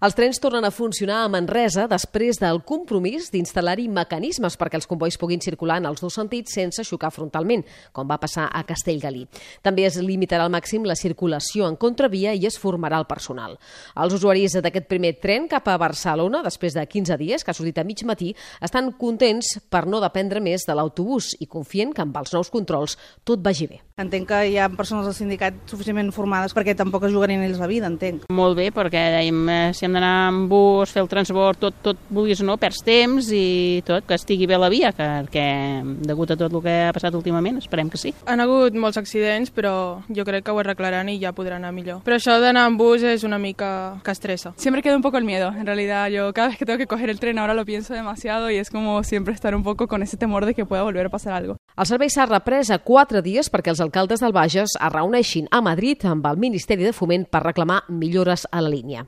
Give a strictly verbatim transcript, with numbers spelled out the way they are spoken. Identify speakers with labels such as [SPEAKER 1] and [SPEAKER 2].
[SPEAKER 1] Els trens tornen a funcionar a Manresa després del compromís d'instal·lar-hi mecanismes perquè els combois puguin circular en els dos sentits sense xocar frontalment, com va passar a Castellgalí. També es limitarà al màxim la circulació en contravia i es formarà el personal. Els usuaris d'aquest primer tren cap a Barcelona, després de quinze dies, que ha sortit a mig matí, estan contents per no dependre més de l'autobús i confien que amb els nous controls tot vagi bé.
[SPEAKER 2] Entenc que hi ha persones del sindicat suficientment formades perquè tampoc es jugarien ells la vida, entenc.
[SPEAKER 3] Molt bé, perquè dèiem, eh, si hem d'anar amb bus, fer el transport, tot, tot vulguis o no, perds temps i tot, que estigui bé la via, que, que degut a tot el que ha passat últimament, esperem que sí.
[SPEAKER 4] Han hagut molts accidents, però jo crec que ho arreglaran i ja podrà anar millor. Però això d'anar amb bus és una mica que estressa.
[SPEAKER 5] Siempre queda un poco el miedo, en realidad yo cada vez que tengo que coger el tren ahora lo pienso demasiado y es como siempre estar un poco con ese temor de que pueda volver a pasar algo.
[SPEAKER 1] El servei s'ha reprès a quatre dies perquè els alcaldes del Bages es reuneixin a Madrid amb el Ministeri de Foment per reclamar millores a la línia.